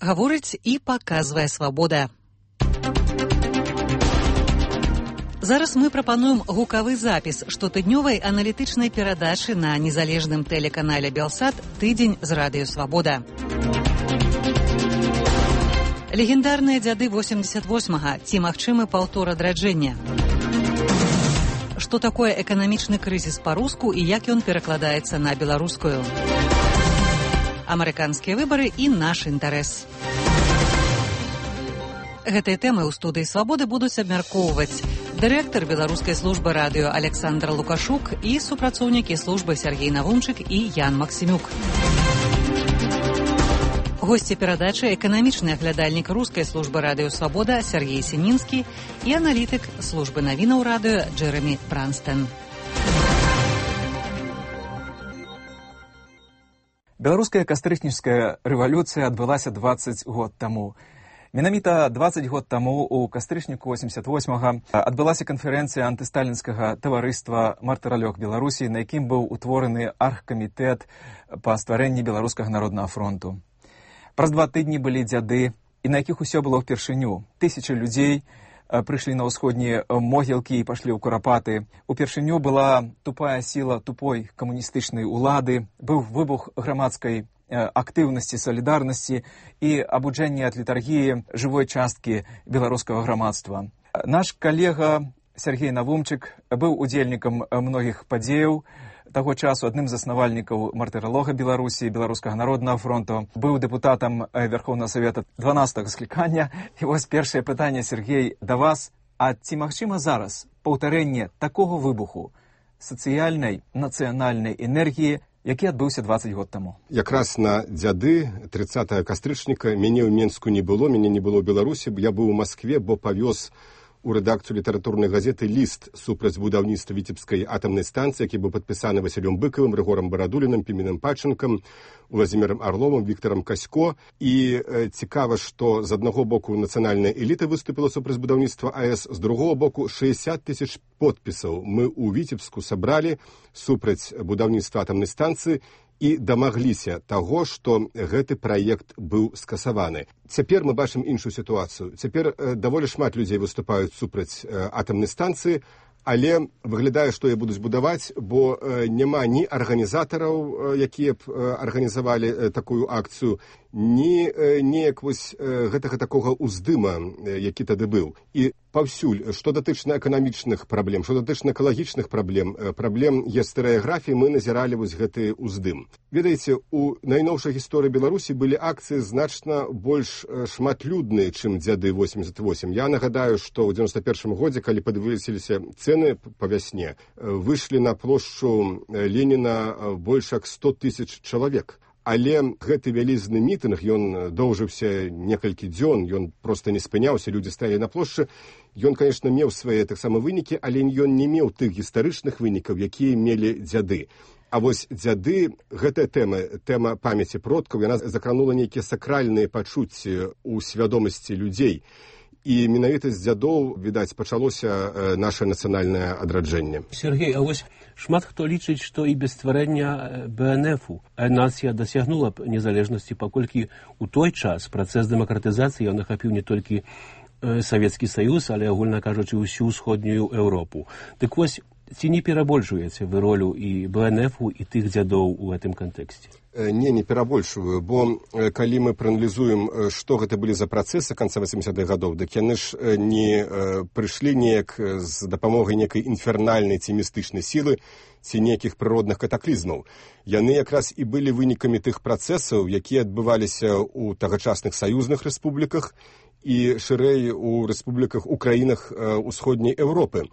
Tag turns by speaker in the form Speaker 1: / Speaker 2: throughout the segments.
Speaker 1: Гаворыць і паказвае свабода. Зараз мы прапануем гукавы запіс штотыднёвай аналітычнай перадачы на незалежным тэлеканале Белсат «Тыдзень з радыё Свабода». Легендарныя дзяды 88-га. Ці магчымы паўтор адраджэння? Што такое эканамічны крызіс па-руску і як ён перакладаецца на беларускую? Амерыканскія выбары і наш інтарэс. Гэтыя тэмы ў студыі «Свабоды» будуць абмяркоўваць дырэктар беларускай службы радыё Александр Лукашук і супрацоўнікі службы Сергей Навумчык і Ян Максімюк. Госці перадачы эканамічны аглядальнік рускай службы радыё «Свабода» Сергей Сінінскі і аналітык службы навінаў радыё Джэрамі Бранстэн.
Speaker 2: Беларуская кастрычніцкая рэвалюцыя адбылася 20 год таму. Менавіта 20 год таму у кастрычніку 88-га адбылася канферэнцыя антысталінскага таварыства «Мартыралёг Беларусі», на якім быў утвораны аргкамітэт па стварэнні Беларускага народнага фронту. Праз 2 тыдні былі дзяды, і на якіх усё было ўпершыню. Тысячы людзей прыйшлі на ўсходнія могілкі і пашлі ў курапаты. Упершыню была тупая сіла тупой камуністычнай улады, быў выбух грамадскай актыўнасці, салідарнасці і абуджэнне ад літаргіі жывой часткі беларускага грамадства. Наш калега Сергей Навумчык быў удзельнікам многіх падзеяў таго часу, адным з заснавальнікаў мартыралога Беларусі, Беларускага народнага фронту, быў дэпутатам Верхоўнага Савета 12-го склікання. І вось першае пытанне, Сергей, да вас. А ці магчыма зараз паўтарэнне такога выбуху сацыяльнай, нацыянальнай энергіі, які адбыўся 20 год таму?
Speaker 3: Якраз на дзяды 30 кастрычніка мяне ў Менску не было, мяне не было ў Беларусі. Я быў у Маскве, бо павёз у рэдакцыю літаратурнай газеты ліст супраць будаўніцтва Віцебскай атамнай станцыі, які быў падпісаны Васілём Быкавым, Рыгорам Барадулінам, Піменам Пачынкам, Владзімірам Арловым, Віктарам Касько. І цікава, што з аднаго боку нацыянальная эліта выступіла супраць будаўніцтва АЭС, з другого боку 60 тысяч подпісаў мы ў Віцебску сабралі супраць будаўніцтва атамнай станцыі і дамагліся таго, што гэты праект быў скасаваны. Цяпер мы бачым іншую сітуацыю. Цяпер даволі шмат людзей выступаюць супраць атамнай станцыі, але выглядае, што яе будуць будаваць, бо няма ні арганізатараў, якія б арганізавалі такую акцыю, ні неяк вось гэтага такога ўздыма, які тады быў. І паўсюль, што датычна эканамічных праблем, што датычна экалагічных праблем, праблем гістарыяграфіі, мы назіралі вось гэты ўздым. Ведаеце, у найноўшай гісторыі Беларусі былі акцыі значна больш шматлюдныя, чым дзяды 88. Я нагадаю, што ў 91 годзе, калі падвысіліся цэны па вясне, выйшлі на плошчу Леніна больш як 100 тысяч чалавек. Але гэты вялізны мітынг, ён доўжыўся некалькі дзён, ён проста не спыняўся, людзі стаялі на плошчы. Ён, конечно, меў свае таксама вынікі, але ён не меў тых гістарычных вынікаў, якія мелі дзяды. А вось дзяды, гэтая тэма памяці продкаў, яна закранула нейкія сакральныя пачуцці ў свядомасці людзей. І менавіта з дзядоў, відаць, пачалося наше нацыянальнае адраджэнне.
Speaker 4: Сергей, а вось шмат хто лічыць, што і без стварэння БНФ-у нацыя дасягнула б незалежнасці, паколькі ў той час працэс дэмакратызацыі ён ахапіў не толькі Савецкі Саюз, але, агульна кажучы, усю ўсходнюю Еўропу. Дык вось, ці не перабольшваеце вы ролю і БНФ-у, і тых дзядоў у гэтым кантэксце?
Speaker 3: Не перабольшваю, бо калі мы прааналізуем, што гэта былі за працэсы канца 80-х гадоў, дык яны ж не прыйшлі неяк з дапамогай некай інфернальнай ці містычнай сілы ці нейкіх прыродных катаклізмаў. Яны якраз і былі вынікамі тых працэсаў, якія адбываліся ў тагачасных саюзных рэспубліках і шырэй у рэспубліках у краінах усходняй Еўропы.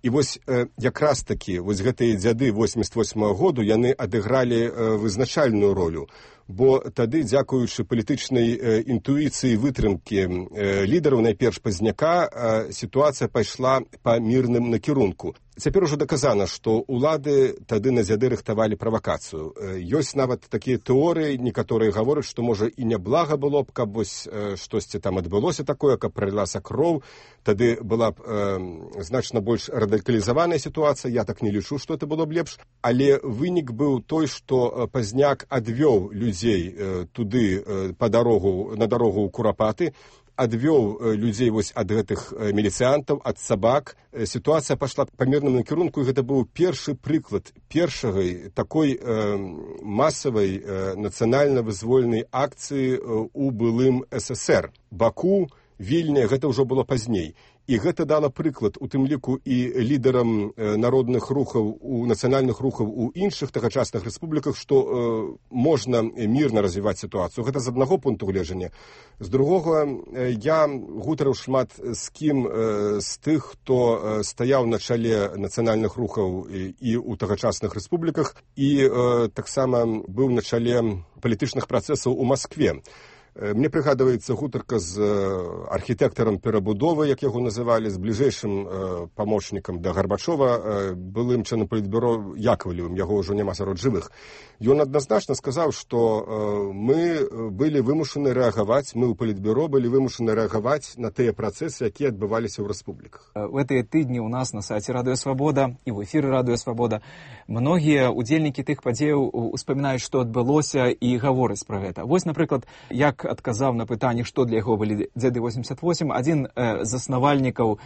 Speaker 3: І вось якраз такі, вось гэтыя дзяды 88-го году, яны адыгралі вызначальную ролю, бо тады, дзякуючы палітычнай інтуіцыі вытрымкі лідараў, найперш Пазняка, сітуацыя пайшла па мірным накірунку. Цяпер ужо даказана, што ўлады тады на дзяды рыхтавалі правакацыю. Ёсць нават такія тэорыі, некаторыя гавораць, што, можа, і няблага было б, каб вось штосьці там адбылося такое, каб пралілася кроў, тады была б значна больш радыкалізаваная сітуацыя, я так не лічу, што это было б лепш, але вынік быў той, што Пазняк адвёў людзей туды на дарогу ў Курапаты, адвёў людзей вось ад гэтых міліцыянтаў, ад сабак. Сітуацыя пайшла па мірным накірунку, і гэта быў першы прыклад першай такой масавай нацыянальна-вызвольнай акцыі у былым СССР. Баку, Вільня, гэта ўжо было пазней. І гэта дала прыклад, у тым ліку і лідарам народных рухаў, нацыянальных рухаў у іншых тагачасных рэспубліках, што можна мірна развіваць сітуацыю. Гэта з аднаго пункту гледжання. З другога, я гутарыў шмат з кім з тых, хто стаяў на чале нацыянальных рухаў і ў тагачасных рэспубліках, і таксама быў на чале палітычных працэсаў у Маскве. Мне прыгадваецца гутарка з архітэктарам перабудовы, як яго называлі, з бліжэйшым памочнікам да Гарбачова, былым членам палітбюро Яковлевым, яго ўжо няма сярод жывых. Ён адназначна сказаў, што мы былі вымушаны рэагаваць, мы ў палітбюро былі вымушаны рэагаваць на тыя працэсы, якія адбываліся ў рэспубліках.
Speaker 2: В гэтыя тыдні ў нас на сайце Радыё Свабода і ў эфіры Радыё Свабода многія удзельнікі тых падзеяў успамінаюць, што адбылося, і гавораць пра гэта. Вось, напрыклад, як адказаў на пытанне, што для яго былі дзяды 88, адзін з заснавальнікаў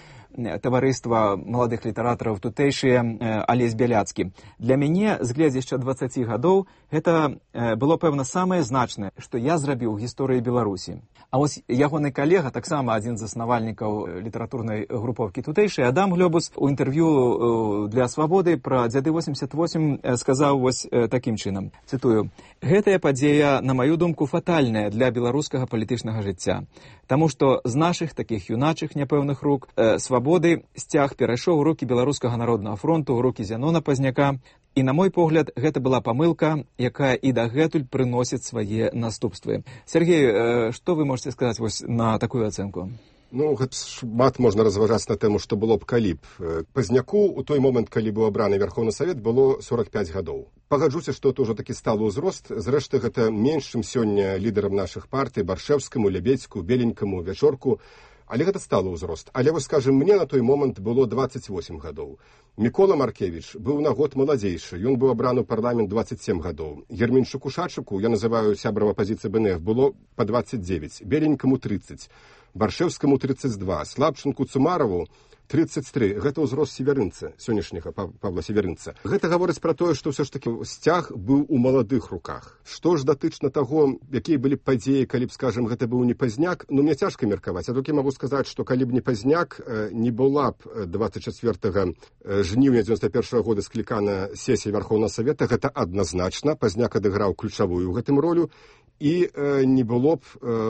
Speaker 2: таварыства маладых літаратараў тутэйшыя Алесь Бяляцкі. Для мяне, з гледзяшча 20 гадоў, гэта было, пэвна, самае значнае, што я зрабіў у гісторыі Беларусі. А вось ягоны калега, таксама адзін з заснавальнікаў літаратурнай групоўкі тутэйшай, Адам Глёбус, у інтэрв'ю для Свабоды пра дзяды 88 сказаў вось такім чынам, цытую: «Гэтая падзея, на маю думку, фатальная для беларускага палітычнага жыцця, таму што з нашых такіх юначых няпэўных рук Свабоды сцяг перайшоў у рукі Беларускага народнага фронту, у рукі Зянона Пазняка, і, на мой погляд, гэта была памылка, якая і дагэтуль прыносіць свае наступствы». Сергей, што вы можете сказаць вось на такую ацэнку?
Speaker 3: Ну, гэта шмат можна разважаць на тэму, што было б калі б. Пазняку ў той момант, калі быў абраны Вярхоўны Савет, было 45 гадоў. Пагаджуся, што это ўжо такі сталы ўзрост. Зрэшты, гэта менш, чым сёння лідарам нашых партый, Баршэўскаму, Лябедзьку, Беленькаму, Вячорку. Але гэта сталы ўзрост. Але, вось, скажем, мне на той момант было 28 гадоў. Мікола Маркевіч быў на год маладзейшы. Ён быў абраны ў парламент 27 гадоў. Ерменчуку Шачыку, я называю сябрам апазіцыі БНФ, было па 29. Беленькаму 30. Баршэўскаму 32, Слабчынку Цумарову 33. Гэта ўзрост северынца, сённяшняга Павла Северынца. Гэта гаворыць пра тое, што ўсё ж такі сцяг быў у маладых руках. Што ж датычна таго, якія былі падзеі, калі б, скажем, гэта быў не Пазняк, ну, мне цяжка меркаваць. Я толькі магу сказаць, што калі б не Пазняк, не была б 24 жніўня 91 года склікана сесія Вярхоўнага Савета, гэта адназначна. Пазняк адыграў ключавую ў гэтым ролю, і не было б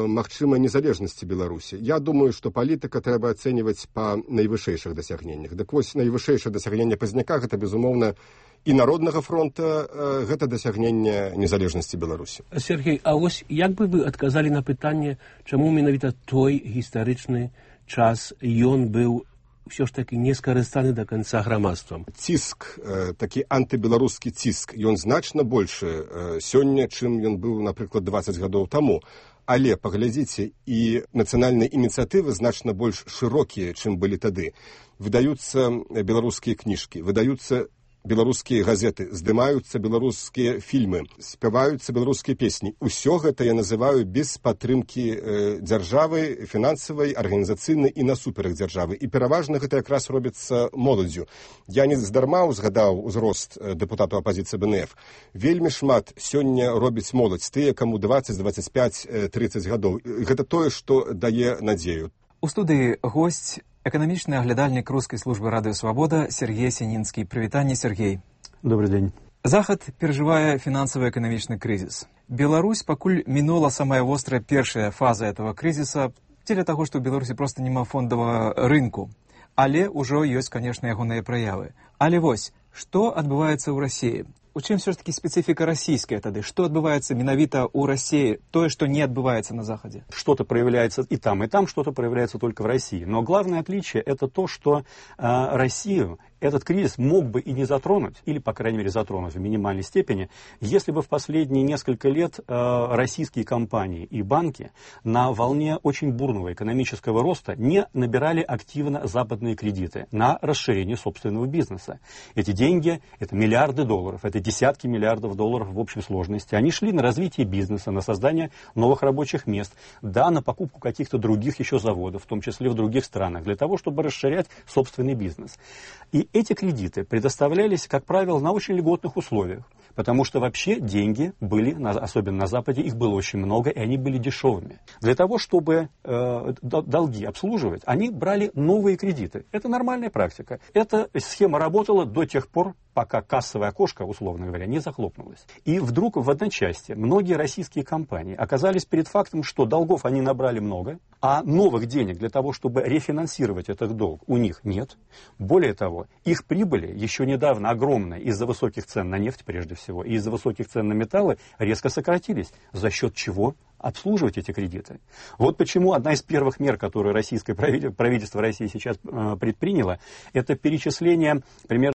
Speaker 3: магчымай незалежнасці Беларусі. Я думаю, што палітыка трэба ацэньваць па найвышэйшых дасягненнях. Дык вось найвышэйшае дасягненне Пазняка, гэта, безумоўна, і Народнага фронта, гэта дасягненне незалежнасці Беларусі.
Speaker 4: Сергей, а вось як бы вы адказалі на пытанне, чаму менавіта той гістарычны час ён быў ўсё ж такі не скарыстаны да канца грамадствам?
Speaker 3: Ціск, такі антыбеларускі ціск, ён значна большы сёння, чым ён быў, напрыклад, 20 гадоў таму. Але, паглядзіце, і нацыянальныя ініцыятывы значна больш шырокія, чым былі тады. Выдаюцца беларускія кніжкі, выдаюцца беларускія газеты, здымаюцца беларускія фільмы, спяваюцца беларускія песні. Усё гэта я называю без падтрымкі дзяржавы, фінансавай, арганізацыйнай і насуперак дзяржавы. І пераважна гэта якраз робіцца моладдзю. Я не здарма узгадаў узрост дэпутату апазіцыі БНФ. Вельмі шмат сёння робіць моладзь, тыя, каму 20, 25, 30 гадоў. Гэта тое, што дае надзею.
Speaker 2: У студыі госць, эканамічны аглядальнік рускай службы Радыё Свабода Сергей Сінінскі. Прывітанне, Сергей.
Speaker 5: Добрый день.
Speaker 2: Захад перажывае фінансава-эканамічны крызіс. Беларусь пакуль мінула самая вострая першая фаза этого крызіса дзеля таго, што ў Беларусі проста няма фондавага рынку. Але ўжо ёсць, конечно, ягоныя праявы. Але вось, што адбываецца ў Расіі? У чым все ж таки специфика российская тады? Что отбывается менавіта у России, то, что не отбывается на Западе?
Speaker 5: Что-то проявляется и там, что-то проявляется только в России. Но главное отличие – это то, что Россию этот кризис мог бы и не затронуть, или, по крайней мере, затронуть в минимальной степени, если бы в последние несколько лет российские компании и банки на волне очень бурного экономического роста не набирали активно западные кредиты на расширение собственного бизнеса. Эти деньги, это миллиарды долларов, это десятки миллиардов долларов в общей сложности. Они шли на развитие бизнеса, на создание новых рабочих мест, да, на покупку каких-то других еще заводов, в том числе в других странах, для того, чтобы расширять собственный бизнес. И эти кредиты предоставлялись, как правило, на очень льготных условиях, потому что вообще деньги были, особенно на Западе, их было очень много, и они были дешевыми. Для того, чтобы долги обслуживать, они брали новые кредиты. Это нормальная практика. Эта схема работала до тех пор, пока кассовое окошко, условно говоря, не захлопнулось. И вдруг в одночасье многие российские компании оказались перед фактом, что долгов они набрали много, а новых денег для того, чтобы рефинансировать этот долг, у них нет. Более того, их прибыли, еще недавно огромные, из-за высоких цен на нефть прежде всего, и из-за высоких цен на металлы, резко сократились. За счет чего? Обслуживать эти кредиты. Вот почему одна из первых мер, которую российское правительство России сейчас предприняло, это перечисление примерно